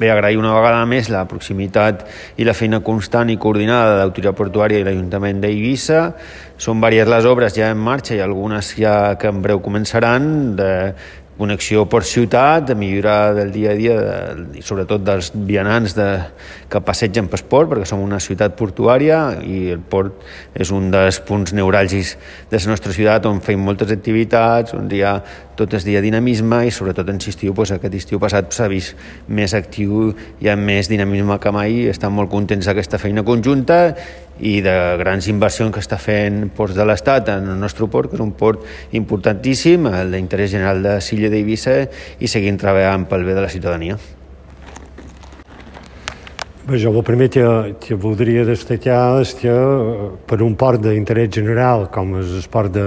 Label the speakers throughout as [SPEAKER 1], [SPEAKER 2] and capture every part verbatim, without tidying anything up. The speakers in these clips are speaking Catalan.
[SPEAKER 1] Bé, agrair una vegada més la proximitat i la feina constant i coordinada de l'Autoritat Portuària i l'Ajuntament d'Eivissa. Són diverses les obres ja en marxa i algunes ja que en breu començaran, de connexió port-ciutat, de millorar del dia a dia, de, i sobretot dels vianants de, que passegen pel port, perquè som una ciutat portuària i el port és un dels punts neuràlgics de la nostra ciutat on fem moltes activitats, on hi ha tot el dia dinamisme i sobretot en estiu, doncs, aquest estiu passat s'ha vist més actiu i amb més dinamisme que mai. Estem molt contents d'aquesta feina conjunta i de grans inversions que està fent Ports de l'Estat en el nostre port, que és un port importantíssim, d'interès general de l'illa d'Eivissa, i seguim treballant pel bé de la ciutadania.
[SPEAKER 2] Bé, jo el primer que, que voldria destacar és que per un port d'interès general com és el port de,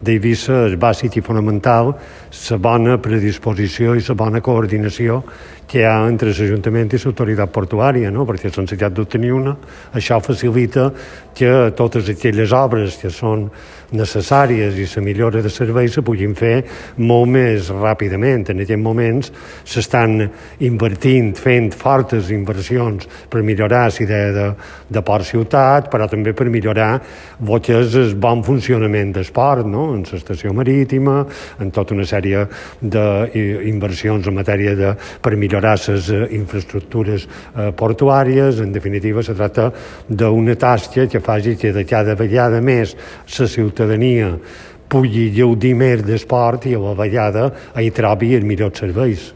[SPEAKER 2] d'Eivissa és bàsic i fonamental la bona predisposició i la bona coordinació que hi ha entre l'Ajuntament i l'autoritat portuària, no? Perquè sense cap dubte ni una, això facilita que totes aquelles obres que són necessàries i la millora de servei se puguin fer molt més ràpidament. En aquests moments s'estan invertint, fent fortes inversions per millorar la idea de, de port-ciutat, però també per millorar el que és el bon funcionament del port, no? En l'estació marítima, en tota una sèrie d'inversions en matèria de, per millorar les infraestructures eh, portuàries. En definitiva, se tracta d'una tasca que faci que de cada vegada més la ciutadania pugui gaudir més d'esport i a la vegada hi trobi els millors serveis.